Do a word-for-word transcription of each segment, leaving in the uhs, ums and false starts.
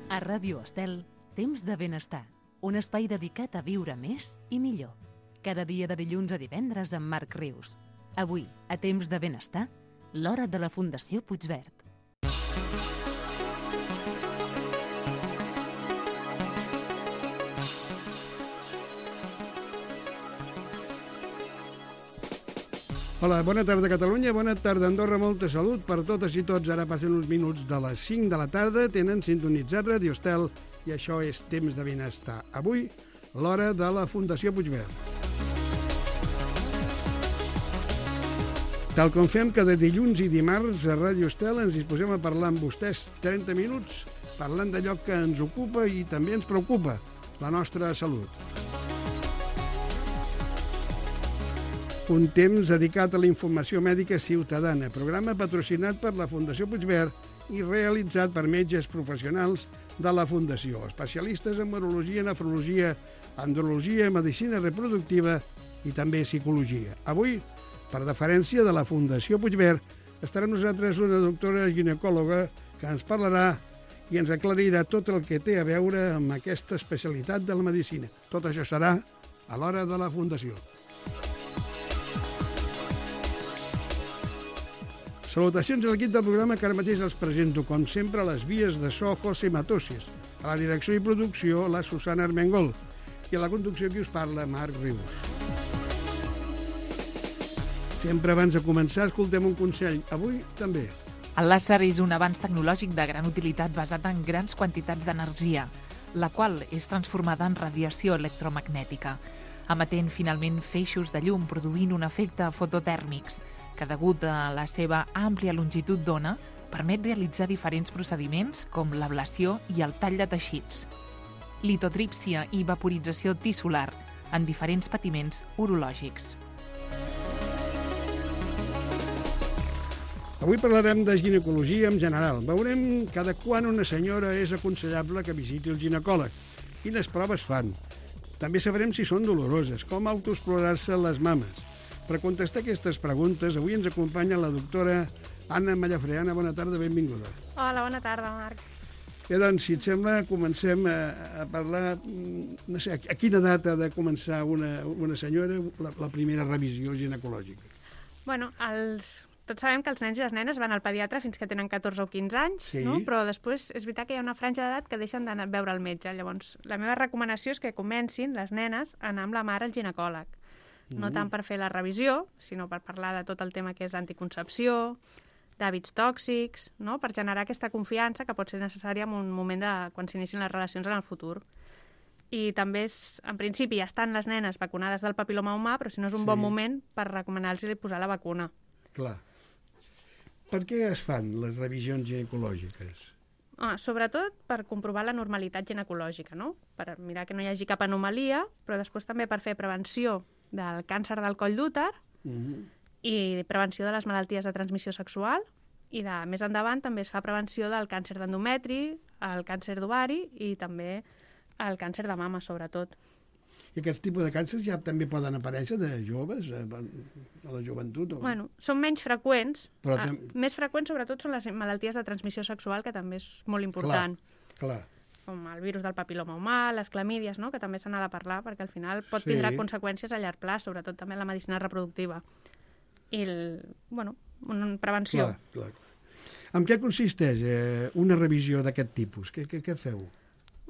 A Ràdio Estel, Temps de Benestar, un espai dedicat a viure més i millor. Cada dia de dilluns a divendres amb Marc Rius. Avui, a Temps de Benestar, l'hora de la Fundació Puigverd. Hola, bona tarda Catalunya, bona tarda Andorra, molta salut per totes i tots. Ara passen uns minuts de les cinc de la tarda, tenen sintonitzat Radio Estel i això és Temps de Benestar. Avui, l'hora de la Fundació Puigverd. Tal com fem cada dilluns i dimarts a Radio Estel, ens disposem a parlar amb vostès trenta minuts, parlant d'allò que ens ocupa i també ens preocupa, la nostra salut. Un temps dedicat a la informació mèdica ciutadana, programa patrocinat per la Fundació Puigverd i realitzat per metges professionals de la Fundació, especialistes en urologia, nefrologia, andrologia, medicina reproductiva i també psicologia. Avui, per deferència de la Fundació Puigverd, estarà amb nosaltres una doctora ginecòloga que ens parlarà i ens aclarirà tot el que té a veure amb aquesta especialitat de la medicina. Tot això serà a l'hora de la Fundació. Salutacions a l'equip del programa que ara mateix els presento, com sempre, a les vies de so José Matosies, a la direcció i producció la Susana Armengol i a la conducció qui us parla, Marc Rius. Sempre abans de començar escoltem un consell, avui també. El làser és un avanç tecnològic de gran utilitat basat en grans quantitats d'energia, la qual és transformada en radiació electromagnètica, emetent finalment feixos de llum produint un efecte fototèrmics, que degut a la seva àmplia longitud d'ona permet realitzar diferents procediments com l'ablació i el tall de teixits, litotrípsia i vaporització tissular en diferents patiments urològics. Avui parlarem de ginecologia en general. Veurem cada quan una senyora és aconsellable que visiti el ginecòleg, quines proves fan. També sabrem si són doloroses, com autoexplorar-se les mames. Per contestar aquestes preguntes, avui ens acompanya la doctora Anna Mallafré. Anna, bona tarda, benvinguda. Hola, bona tarda, Marc. Bé, doncs, si et sembla, comencem a, a parlar, no sé, a quina data ha de començar una, una senyora la, la primera revisió ginecològica? Bueno, els... tots sabem que els nens i les nenes van al pediatre fins que tenen catorze o quinze anys, sí. No? Però després és veritat que hi ha una franja d'edat que deixen d'anar a veure el metge. Llavors, la meva recomanació és que comencin les nenes a anar amb la mare al ginecòleg. No tant per fer la revisió, sinó per parlar de tot el tema que és anticoncepció, d'hàbits tòxics, no? Per generar aquesta confiança que pot ser necessària en un moment de quan s'inicien les relacions en el futur. I també, és, en principi, ja estan les nenes vacunades del papil·loma humà, però si no és un sí. bon moment per recomanar-los posar la vacuna. Clar. Per què es fan les revisions ginecològiques? Ah, sobretot per comprovar la normalitat ginecològica, no? Per mirar que no hi hagi cap anomalia, però després també per fer prevenció del càncer del coll d'úter uh-huh. i prevenció de les malalties de transmissió sexual i de, més endavant també es fa prevenció del càncer d'endometri, el càncer d'ovari i també el càncer de mama, sobretot. I aquests tipus de càncers ja també poden aparèixer de joves, a la joventut? O... Bueno, són menys freqüents. Però ah, tem... Més freqüents, sobretot, són les malalties de transmissió sexual, que també és molt important. Clar, clar. Com el virus del papil·loma humà, les clamídies, no? Que també se n'ha de parlar, perquè al final pot sí. tindrà conseqüències a llarg plaç, sobretot també en la medicina reproductiva. I, el, bueno, una prevenció. Clar, clar, clar. En què consisteix eh, una revisió d'aquest tipus? Què, què, què feu?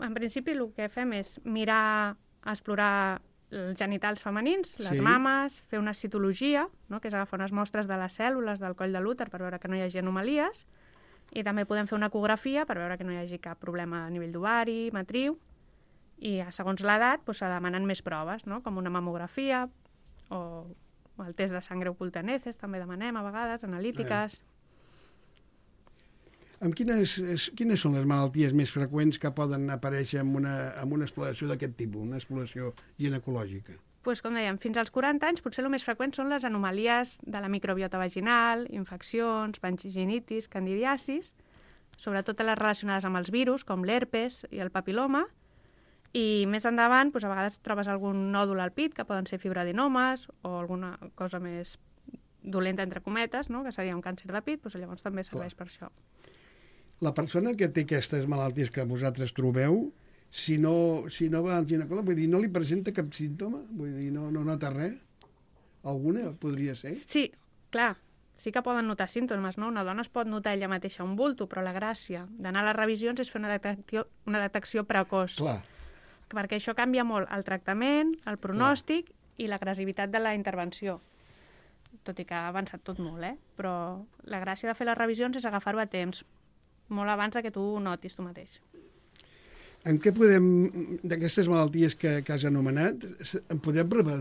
En principi, el que fem és mirar, explorar els genitals femenins, les sí. mames, fer una citologia, no? Que és agafar unes mostres de les cèl·lules del coll de l'úter per veure que no hi hagi anomalies, i també podem fer una ecografia per veure que no hi hagi cap problema a nivell d'ovari, matriu, i segons l'edat doncs, se demanen més proves, no? Com una mamografia o el test de sangre oculta en heces, també demanem a vegades, analítiques. Eh. Amb quines, quines són les malalties més freqüents que poden aparèixer amb una, amb una exploració d'aquest tipus, una exploració ginecològica? Pues, com dèiem, fins als quaranta anys potser el més freqüent són les anomalies de la microbiota vaginal, infeccions, vaginitis, candidiasis, sobretot les relacionades amb els virus, com l'herpes i el papil·loma, i més endavant doncs, a vegades trobes algun nòdul al pit, que poden ser fibroadenomes o alguna cosa més dolenta, entre cometes, no? Que seria un càncer de pit, doncs llavors també serveix per això. La persona que té aquestes malalties que vosaltres trobeu, si no, si no va al ginecòleg, vull dir, no li presenta cap símptoma? Vull dir, no, no nota res? Alguna podria ser? Sí, clar, sí que poden notar símptomes, no? Una dona es pot notar ella mateixa un bulto, però la gràcia d'anar a les revisions és fer una detecció, una detecció precoç. Clar. Perquè això canvia molt el tractament, el pronòstic clar. I l'agressivitat de la intervenció. Tot i que ha avançat tot molt, eh? Però la gràcia de fer les revisions és agafar-ho a temps, molt abans que tu ho notis tu mateix. En què podem, d'aquestes malalties que, que has anomenat, en podem preve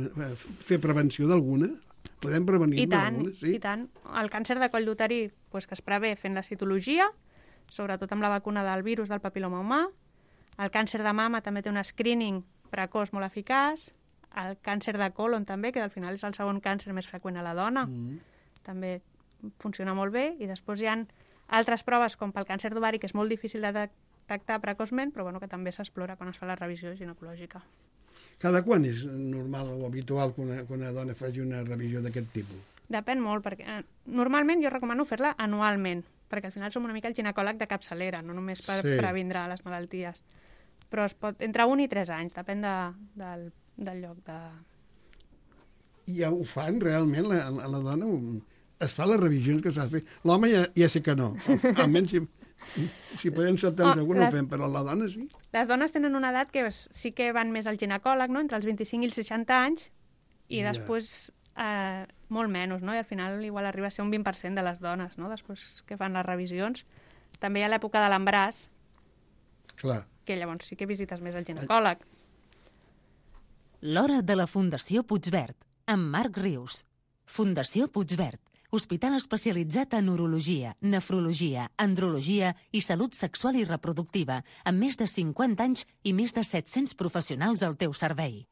fer prevenció d'alguna? Podem prevenir-ne alguna? Sí? I tant. El càncer de coll d'uteri pues, que es prevé fent la citologia, sobretot amb la vacuna del virus del papil·loma humà. El càncer de mama també té un screening precoç molt eficaç. El càncer de colon també, que al final és el segon càncer més freqüent a la dona. Mm. També funciona molt bé. I després hi ha altres proves, com pel càncer d'ovari, que és molt difícil de detectar precoçment, però bueno, que també s'explora quan es fa la revisió ginecològica. Cada quan és normal o habitual que una, que una dona faci una revisió d'aquest tipus? Depèn molt, perquè eh, normalment jo recomano fer-la anualment, perquè al final som una mica el ginecòleg de capçalera, no només per sí. previndre les malalties. Però es pot, entre un i tres anys, depèn de, del, del lloc de... I ja ho fan realment, la, la dona... Es fa les revisions que s'ha de fer. L'home ja, ja sé que no. Almenys si, si podem saltar oh, segur no ho fem, però la dona sí. Les dones tenen una edat que sí que van més al ginecòleg, no? Entre els vint-i-cinc i els seixanta anys, i ja. després eh, molt menys, no? I al final igual arriba a ser un vint per cent de les dones, no? Després que fan les revisions. També hi ha l'època de l'embaràs, que llavors sí que visites més el ginecòleg. L'hora de la Fundació Puigverd, amb Marc Rius. Fundació Puigverd, hospital especialitzat en urologia, nefrologia, andrologia i salut sexual i reproductiva, amb més de cinquanta anys i més de set-cents professionals al teu servei.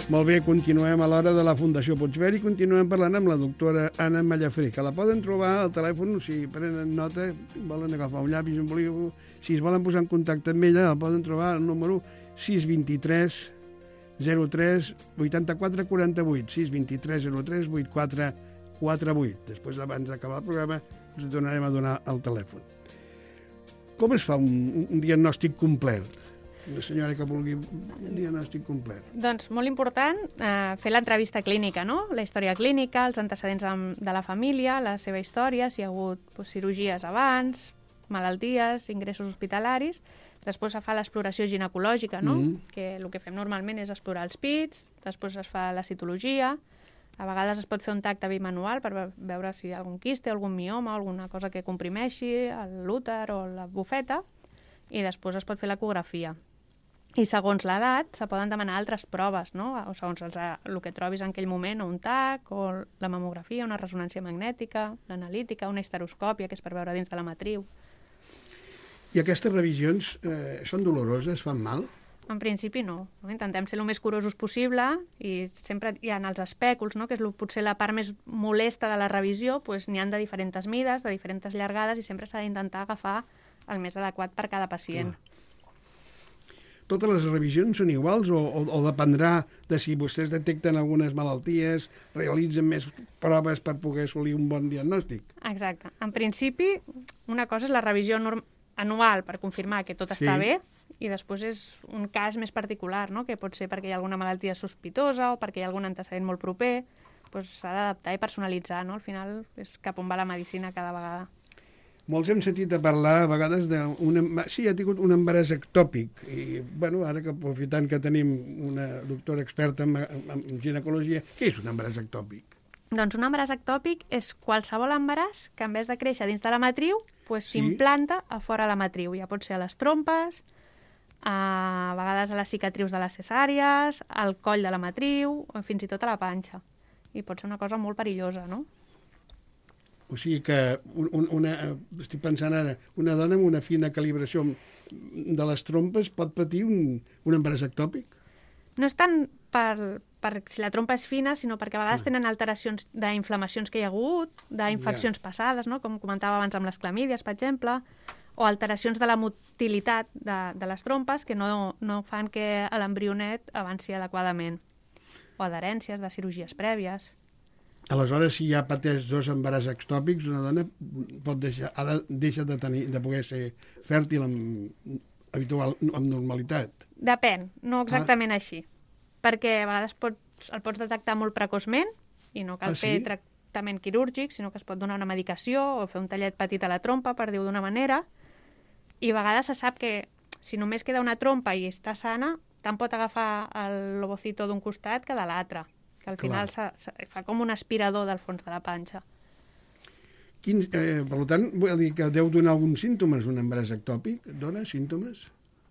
Molt bé, continuem a l'hora de la Fundació Puigverd i continuem parlant amb la doctora Anna Mallafré, que la poden trobar al telèfon, si prenen nota, volen agafar un llapis, un bolígraf, si es volen posar en contacte amb ella, la poden trobar al número sis dos tres zero tres vuitanta-quatre quaranta-vuit, sis dos tres zero tres vuitanta-quatre quaranta-vuit. Després, abans d'acabar el programa, us tornarem a donar el telèfon. Com es fa un, un diagnòstic complet? Una senyora que vulgui un diagnòstic complet. Doncs molt important eh, fer l'entrevista clínica, no? La història clínica, els antecedents de la família, la seva història, si hi ha hagut pues, cirurgies abans, malalties, ingressos hospitalaris. Després es fa l'exploració ginecològica, no? Mm-hmm. Que el que fem normalment és explorar els pits, després es fa la citologia, a vegades es pot fer un tacte bimanual per veure si hi ha algun quiste, algun mioma, alguna cosa que comprimeixi l'úter o la bufeta, i després es pot fer l'ecografia. I segons l'edat se poden demanar altres proves, no? O segons els, el que trobis en aquell moment, o un tac, o la mamografia, una ressonància magnètica, l'analítica, una histeroscòpia, que és per veure dins de la matriu. I aquestes revisions eh, són doloroses, fan mal? En principi no. no. Intentem ser el més curosos possible i sempre hi ha els espèculs, no? Que és potser la part més molesta de la revisió, doncs n'hi ha de diferents mides, de diferents llargades, i sempre s'ha d'intentar agafar el més adequat per cada pacient. Clar. Totes les revisions són iguals o, o, o dependrà de si vostès detecten algunes malalties, realitzen més proves per poder assolir un bon diagnòstic? Exacte. En principi, una cosa és la revisió anual per confirmar que tot sí. està bé, i després és un cas més particular, no? Que pot ser perquè hi ha alguna malaltia sospitosa o perquè hi ha algun antecedent molt proper, doncs s'ha d'adaptar i personalitzar, no? Al final és cap on va la medicina cada vegada. Molts hem sentit a parlar a vegades d'un... Sí, ha tingut un embaràs ectòpic. I, bueno, ara que aprofitant que tenim una doctora experta en, en, en ginecologia, què és un embaràs ectòpic? Doncs un embaràs ectòpic és qualsevol embaràs que en vez de créixer dins de la matriu, pues, sí? s'implanta a fora de la matriu. Ja pot ser a les trompes, a vegades a les cicatrius de les cesàries, al coll de la matriu, o fins i tot a la panxa. I pot ser una cosa molt perillosa, no? O sigui que, un, una, estic pensant ara, una dona amb una fina calibració de les trompes pot patir un, un embaràs ectòpic? No és tant per, per si la trompa és fina, sinó perquè a vegades tenen alteracions d'inflamacions que hi ha hagut, d'infeccions ja. passades, no? Com comentava abans amb les clamídies, per exemple, o alteracions de la motilitat de, de les trompes que no, no fan que l'embrionet avanci adequadament, o adherències de cirurgies prèvies. Aleshores, si ja pateix dos embaràs ectòpics, una dona pot deixar, ha de, deixa de, tenir, de poder ser fèrtil amb, habitual, amb normalitat. Depèn, no exactament ah. així. Perquè a vegades pots, el pots detectar molt precoçment i no cal ah, sí? fer tractament quirúrgic, sinó que es pot donar una medicació o fer un tallet petit a la trompa, per dir-ho d'una manera. I a vegades se sap que si només queda una trompa i està sana, tant pot agafar l'ovocito d'un costat que de l'altre. Que al final sa, sa, fa com un aspirador del fons de la panxa. Quin, eh, per tant, vull dir que deu donar alguns símptomes un embaràs ectòpic? Dona símptomes?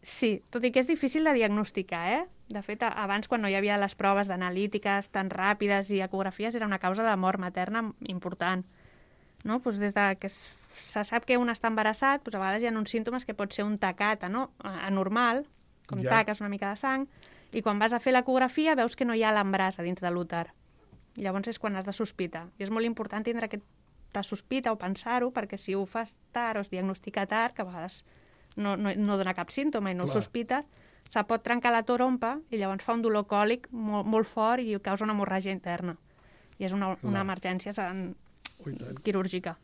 Sí, tot i que és difícil de diagnosticar, eh? De fet, abans, quan no hi havia les proves d'analítiques tan ràpides i ecografies, era una causa de mort materna important. No? Pues des de que es, se sap que un està embarassat, pues a vegades hi ha uns símptomes que pot ser un tacat, no? Anormal, com ja. taques, una mica de sang, i quan vas a fer l'ecografia veus que no hi ha l'embràs a dins de l'úter. Llavors és quan has de sospitar. I és molt important tindre aquesta sospita o pensar-ho, perquè si ho fas tard o es diagnostica tard, que a vegades no, no, no dona cap símptoma i no Clar. el sospites, se pot trencar la trompa i llavors fa un dolor còlic molt, molt fort i causa una hemorràgia interna. I és una, una emergència en... quirúrgica.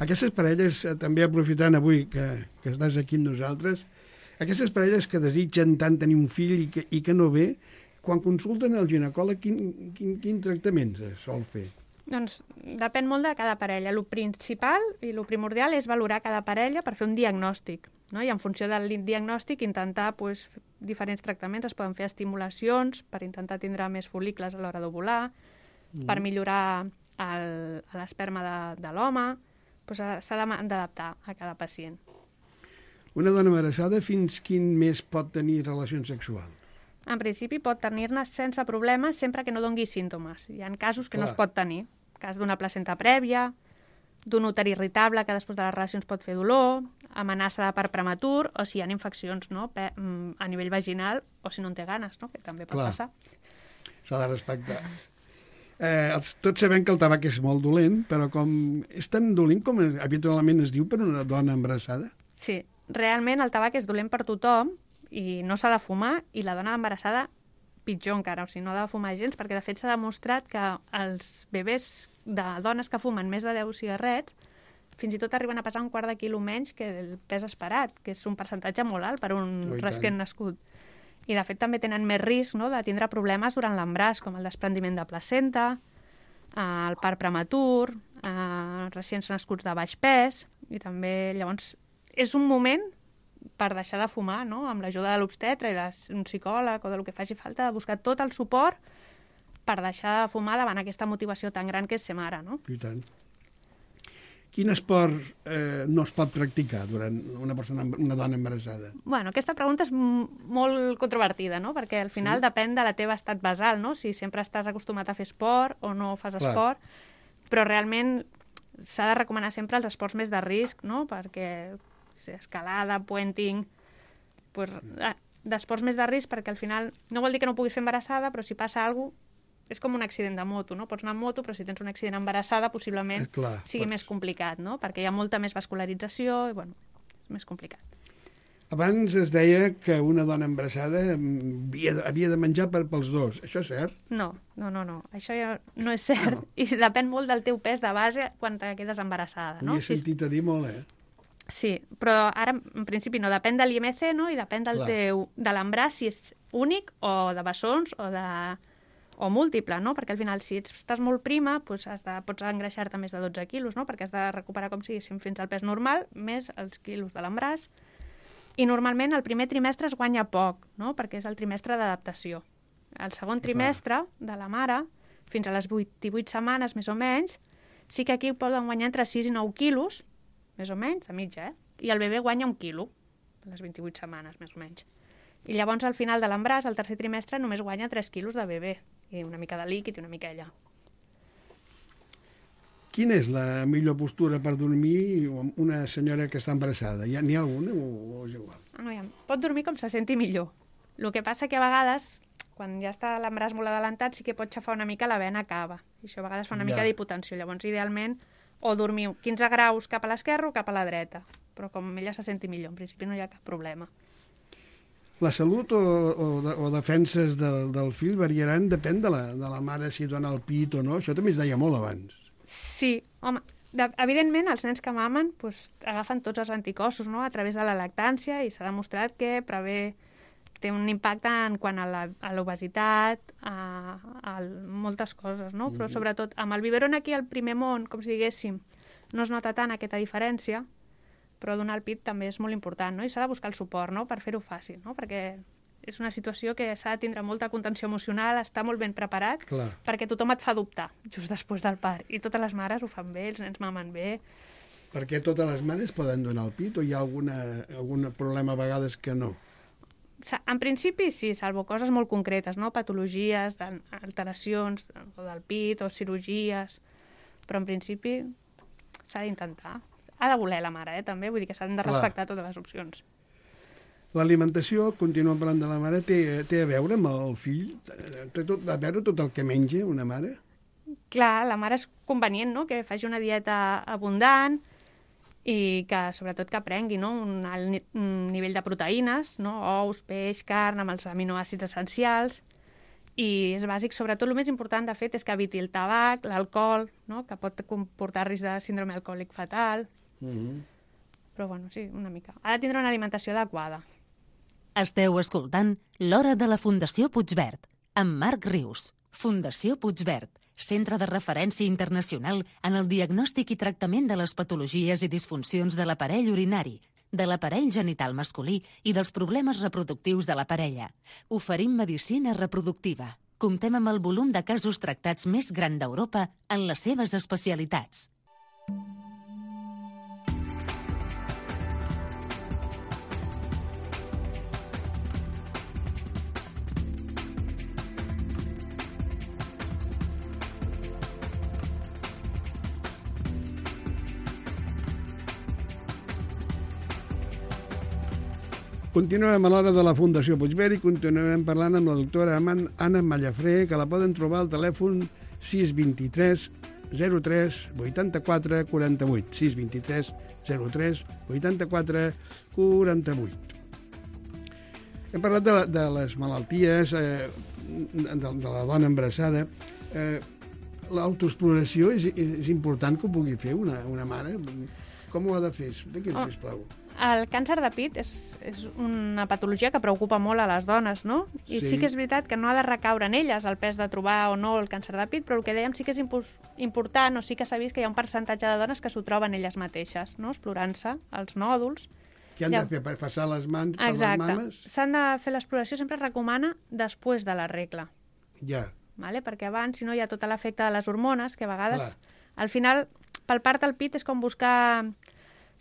Aquestes parelles, també aprofitant avui que, que estàs aquí amb nosaltres, aquestes parelles que desitgen tant tenir un fill i que, i que no ve, quan consulten el ginecòleg, quin, quin, quin tractament es sol fer? Doncs depèn molt de cada parella. El principal i el primordial és valorar cada parella per fer un diagnòstic, no? I en funció del diagnòstic intentar pues, diferents tractaments. Es poden fer estimulacions per intentar tindre més fol·licles a l'hora d'ovular, mm. per millorar l'esperma de, de l'home. Pues, s'ha d'adaptar a cada pacient. Una dona embarassada fins quin mes pot tenir relacions sexuals? En principi pot tenir-ne sense problemes sempre que no dongui símptomes. Hi ha casos que Clar. no es pot tenir. Cas d'una placenta prèvia, d'un úter irritable que després de les relacions pot fer dolor, amenaça de part prematur, o si hi ha infeccions no? a nivell vaginal, o si no en té ganes, no? que també pot Clar. passar. S'ha de respectar. Eh, tots sabem que el tabac és molt dolent, però com és tan dolent com habitualment es diu per una dona embarassada? Sí, realment el tabac és dolent per tothom i no s'ha de fumar, i la dona embarassada pitjor encara, o sigui, no ha de fumar gens, perquè de fet s'ha demostrat que els bebès de dones que fumen més de deu cigarrets fins i tot arriben a pesar un quart de quilo menys que el pes esperat, que és un percentatge molt alt per un oh, recient nascut. I de fet també tenen més risc no, de tindre problemes durant l'embràs, com el desprendiment de placenta, el part prematur, eh, recients nascuts de baix pes, i també llavors és un moment per deixar de fumar, no? Amb l'ajuda de l'obstetra i d'un psicòleg o del que faci falta, de buscar tot el suport per deixar de fumar davant aquesta motivació tan gran que és ser mare, no? I tant. Quin esport eh, no es pot practicar durant una persona, una dona embarassada? Bueno, aquesta pregunta és molt controvertida, no? Perquè al final sí. depèn de la teva estat basal, no? Si sempre estàs acostumat a fer esport o no fas Clar. esport, però realment s'ha de recomanar sempre els esports més de risc, no? Perquè escalada, puenting, pues, d'esports més de risc, perquè al final no vol dir que no puguis fer embarassada, però si passa alguna cosa, és com un accident de moto, no? Pots anar amb moto, però si tens un accident embarassada, possiblement eh, clar, sigui pots... més complicat, no? Perquè hi ha molta més vascularització i, bueno, és més complicat. Abans es deia que una dona embarassada havia de, havia de menjar per, pels dos. Això és cert? No, no, no, no. Això ja no és cert. No. I depèn molt del teu pes de base quan te quedes embarassada, no? Ho he sentit a dir molt, eh? Sí, però ara, en principi, no. Depèn de l'I M C, no? I depèn del Clar. teu, de l'embràs, si és únic o de bessons o de... o múltiple, no? Perquè al final, si estàs molt prima, doncs has de, pots engreixar-te més de dotze quilos, no? Perquè has de recuperar com si diguéssim fins al pes normal, més els quilos de l'embràs. I normalment el primer trimestre es guanya poc, no? Perquè és el trimestre d'adaptació. El segon trimestre de la mare, fins a les vuit-vuit setmanes, més o menys, sí que aquí poden guanyar entre sis i nou quilos, més o menys, de mitja, eh? I el bebè guanya un quilo, a les vint-i-vuit setmanes, més o menys. I llavors, al final de l'embràs, el tercer trimestre, només guanya tres quilos de bebè, i una mica de líquid i una mica ella. Quina és la millor postura per dormir una senyora que està embarassada? N'hi ha alguna o, o és igual? No, ja. Pot dormir com se senti millor. El que passa que a vegades, quan ja està l'embràs molt adelantat, sí que pot xafar una mica la vena cava. I això a vegades fa una ja. mica d'hipotensió. Llavors, idealment, o dormir quinze graus cap a l'esquerra o cap a la dreta, però com ella se senti millor, en principi no hi ha cap problema. La salut o, o, de, o defenses del, del fill variaran, depèn de la, de la mare si dona el pit o no, això també es deia molt abans. Sí, home, de, evidentment els nens que mamen pues, agafen tots els anticossos, no?, a través de la lactància, i s'ha demostrat que prevé, té un impacte en quant a l'obesitat, a, a, a moltes coses, no? Però sobretot amb el biberon aquí al primer món, com si diguéssim, no es nota tant aquesta diferència, però donar el pit també és molt important, no? I s'ha de buscar el suport, no?, per fer-ho fàcil, no?, perquè és una situació que s'ha de tindre molta contenció emocional, estar molt ben preparat, Clar. perquè tothom et fa dubtar just després del part. I totes les mares ho fan bé, els nens mamen bé. Perquè totes les mares poden donar el pit o hi ha alguna, algun problema a vegades que no? En principi sí, salvo coses molt concretes, no?, patologies, alteracions del pit o cirurgies, però en principi s'ha d'intentar. Ha de voler la mare, eh, també, vull dir que s'han de respectar Clar. Totes les opcions. L'alimentació, continuem parlant de la mare, té, té a veure amb el fill? Té tot, a veure tot el que menja una mare? Clar, la mare és convenient, no?, que faci una dieta abundant i que, sobretot, que prengui, no?, un alt ni un nivell de proteïnes, no?, ous, peix, carn, amb els aminoàcids essencials, i és bàsic, sobretot, el més important, de fet, és que eviti el tabac, l'alcohol, no?, que pot comportar risc de síndrome alcohòlic fatal. Mm-hmm. Però, bueno, sí, una mica. Ha de tindre una alimentació adequada. Esteu escoltant L'Hora de la Fundació Puigverd, amb Marc Rius. Fundació Puigverd, centre de referència internacional en el diagnòstic i tractament de les patologies i disfuncions de l'aparell urinari, de l'aparell genital masculí i dels problemes reproductius de la parella. Oferim medicina reproductiva. Comptem amb el volum de casos tractats més gran d'Europa en les seves especialitats. Continuem a l'Hora de la Fundació Puigverd i continuem parlant amb la doctora Anna Mallafré, que la poden trobar al telèfon sis dos tres zero tres vuitanta-quatre quaranta-vuit. sis dos tres zero tres vuitanta-quatre quaranta-vuit. Hem parlat de, de les malalties, eh, de, de la dona embarassada. Eh, L'autoexploració és, és important que ho pugui fer una, una mare? Com ho ha de fer? Expliqui'ns, oh. sisplau. El càncer de pit és, és una patologia que preocupa molt a les dones, no? I sí. sí que és veritat que no ha de recaure en elles el pes de trobar o no el càncer de pit, però el que dèiem sí que és important, o sí que s'ha vist que hi ha un percentatge de dones que s'ho troben elles mateixes, no?, explorant-se els nòduls. Què han ja... de fer? Per passar les mans per Exacte. les mames? S'han de fer l'exploració, sempre es recomana després de la regla. Ja. Vale? Perquè abans, si no, hi ha tot l'efecte de les hormones, que a vegades, Clar. al final, pel part del pit és com buscar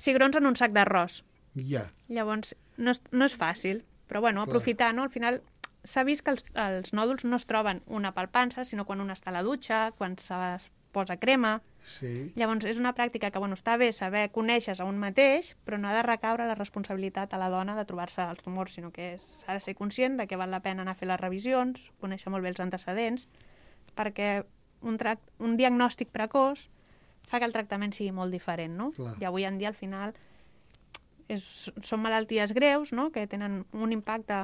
cigrons en un sac d'arròs. Ja. Llavors, no és, no és fàcil, però bueno, Clar. aprofitar, no? Al final s'ha vist que els, els nòduls no es troben una palpança, sinó quan un està a la dutxa, quan es posa crema. Sí. Llavors, és una pràctica que, bueno, està bé saber conèixer-se a un mateix, però no ha de recaure la responsabilitat a la dona de trobar-se els tumors, sinó que s'ha de ser conscient de que val la pena anar a fer les revisions, conèixer molt bé els antecedents, perquè un, tract, un diagnòstic precoç fa que el tractament sigui molt diferent, no? Clar. I avui en dia, al final, és, són malalties greus, no?, que tenen un impacte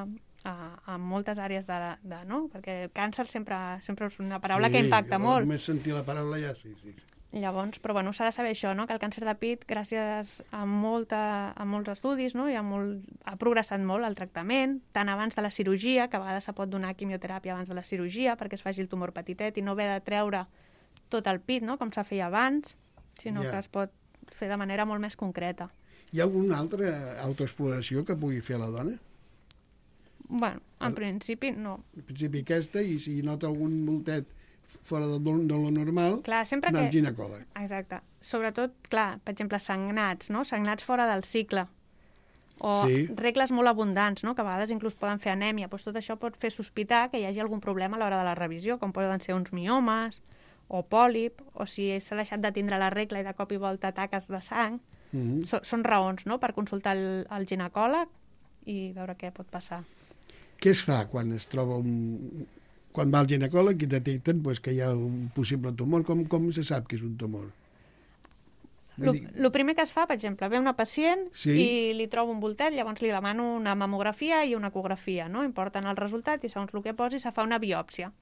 a, a moltes àrees de, de, no? Perquè el càncer sempre, sempre és una paraula sí, que impacta molt. Només sentir la paraula ja, sí, sí. Llavors, però bueno, s'ha de saber això, no?, que el càncer de pit, gràcies a, molta, a molts estudis, no?, i ha, molt, ha progressat molt el tractament, tant abans de la cirurgia, que a vegades se pot donar quimioteràpia abans de la cirurgia perquè es faci el tumor petitet i no haver de treure tot el pit, no?, com s'ha feia abans, sinó ja. que es pot fer de manera molt més concreta. Hi ha alguna altra autoexploració que pugui fer la dona? Bueno, en el... principi no. En principi aquesta, i si nota algun voltet fora de, de lo normal, clar, sempre anar que... al ginecòleg. Exacte. Sobretot, clar, per exemple, sagnats, no? Sagnats fora del cicle. O sí. regles molt abundants, no?, que a vegades inclús poden fer anèmia. Pues tot això pot fer sospitar que hi hagi algun problema a l'hora de la revisió, com poden ser uns miomes o pòlip, o si s'ha deixat de tindre la regla i de cop i volta taques de sang. Mm-hmm. so, són raons, no?, per consultar el, el ginecòleg i veure què pot passar. Què es fa quan es troba un... quan va al ginecòleg i detecten pues, que hi ha un possible tumor? Com, com se sap que és un tumor? El primer que es fa, per exemple, ve una pacient Sí. i li trobo un voltet, llavors li demano una mamografia i una ecografia, no? Em porten el resultat i segons el que posi se fa una biòpsia.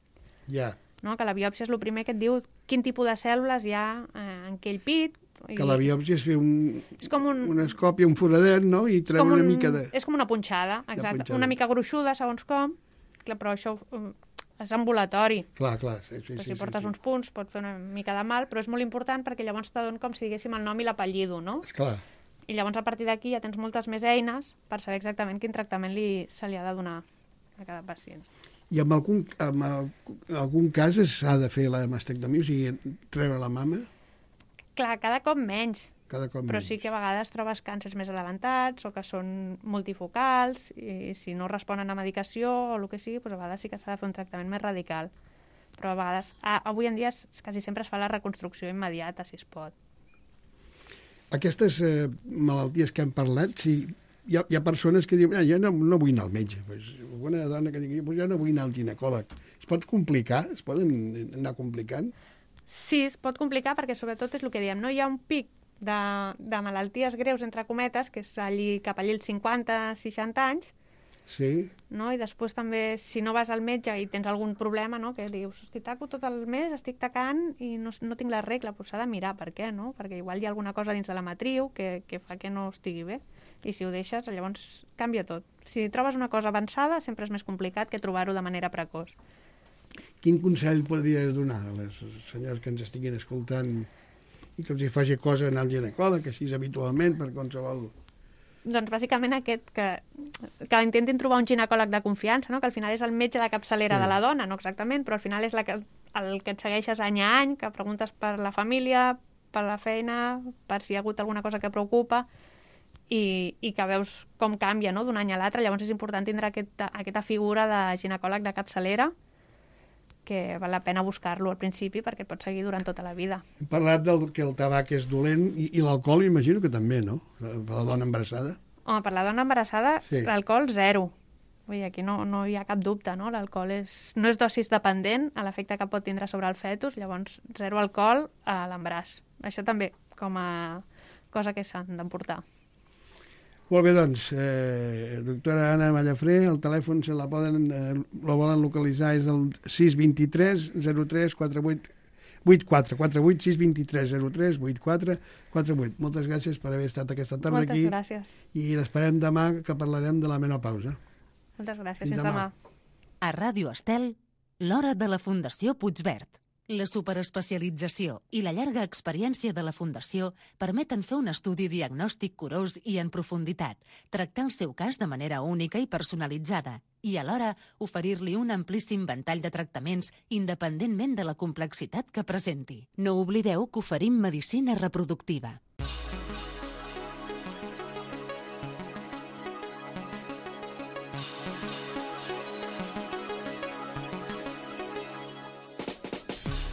Ja. No? Que la biòpsia és el primer que et diu quin tipus de cèl·lules hi ha eh, en aquell pit. I... Que la biòpsia és fer un, És com un- una escòpia, un foradet, no? I és treure com una un- mica de... És com una punxada, exacte. punxada. Una mica gruixuda, segons com, clar, però això eh, és ambulatori. Clar, clar, sí, sí, Però sí. si portes sí, uns punts pot fer una mica de mal, però és molt important perquè llavors te donen com si diguéssim el nom i l'apellido, no? Esclar. I llavors a partir d'aquí ja tens moltes més eines per saber exactament quin tractament li, se li ha de donar a cada pacient. I en algun, en el- en algun cas s'ha de fer la mastectomia, o sigui, treure la mama Clar, cada cop menys, cada cop però menys. sí que a vegades trobes càncers més adelantats o que són multifocals i si no responen a medicació o el que sigui, doncs a vegades sí que s'ha de fer un tractament més radical. Però a vegades, a, avui en dia es- quasi sempre es fa la reconstrucció immediata, si es pot. Aquestes eh, malalties que hem parlat, si hi ha, hi ha persones que diuen, ah, jo no, no vull anar al metge. Pues, una dona que digui, pues jo no vull anar al ginecòleg. Es pot complicar? Es poden anar complicant? Sí, es pot complicar perquè sobretot és el que diem, no? Hi ha un pic de, de malalties greus, entre cometes, que és allí, cap allí als cinquanta seixanta anys, Sí. no? I després també, si no vas al metge i tens algun problema, no? Que dius, hosti, taco tot el mes, estic tacant i no, no tinc la regla, doncs s'ha de mirar per què, no? Perquè igual hi ha alguna cosa dins de la matriu que, que fa que no estigui bé. I si ho deixes, llavors canvia tot. Si trobes una cosa avançada, sempre és més complicat que trobar-ho de manera precoç. Quin consell podries donar a les senyors que ens estiguin escoltant i que els hi faci cosa anar al ginecòleg, així habitualment, per qualsevol... Doncs bàsicament aquest, que, que intentin trobar un ginecòleg de confiança, no? Que al final és el metge de capçalera Sí. de la dona, no exactament, però al final és la que, el que et segueixes any a any, que preguntes per la família, per la feina, per si hi ha hagut alguna cosa que preocupa, i, i que veus com canvia, no?, d'un any a l'altre. Llavors és important tindre aquesta, aquesta figura de ginecòleg de capçalera, que val la pena buscar-lo al principi perquè et pot seguir durant tota la vida. Hem parlat del que el tabac és dolent i, i l'alcohol imagino que també, no? Per la dona embarassada. Home, per la dona embarassada, Sí. l'alcohol zero. Vull dir, aquí no, no hi ha cap dubte, no? L'alcohol és, no és dosis dependent a l'efecte que pot tindre sobre el fetus, llavors zero alcohol a l'embaràs. Això també, com a cosa que s'han d'emportar. Molt bé, doncs, eh, doctora Anna Mallafré, el telèfon se la poden, eh, lo volen localitzar, és el sis dos tres zero tres quatre vuit vuit quatre, quatre vuit sis dos tres zero tres vuit quatre quatre vuit. Moltes gràcies per haver estat aquesta tarda Moltes aquí gràcies. i l'esperem demà que parlarem de la menopausa. Moltes gràcies. Fins Fins demà. demà. A Ràdio Estel, l'hora de la Fundació Puigverd. La superespecialització i la llarga experiència de la Fundació permeten fer un estudi diagnòstic curós i en profunditat, tractar el seu cas de manera única i personalitzada i alhora oferir-li un amplíssim ventall de tractaments independentment de la complexitat que presenti. No oblideu que oferim medicina reproductiva.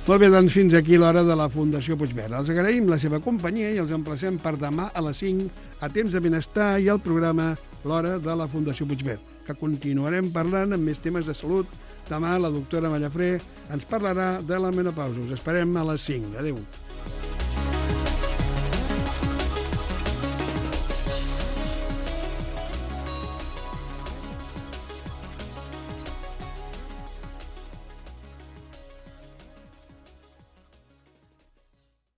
Molt bé, doncs fins aquí l'hora de la Fundació Puigverd. Els agraïm la seva companyia i els emplacem per demà a les cinc a Temps de Benestar i al programa L'hora de la Fundació Puigverd, que continuarem parlant amb més temes de salut. Demà la doctora Mallafré ens parlarà de la menopausa. Us esperem a les cinc. Adéu.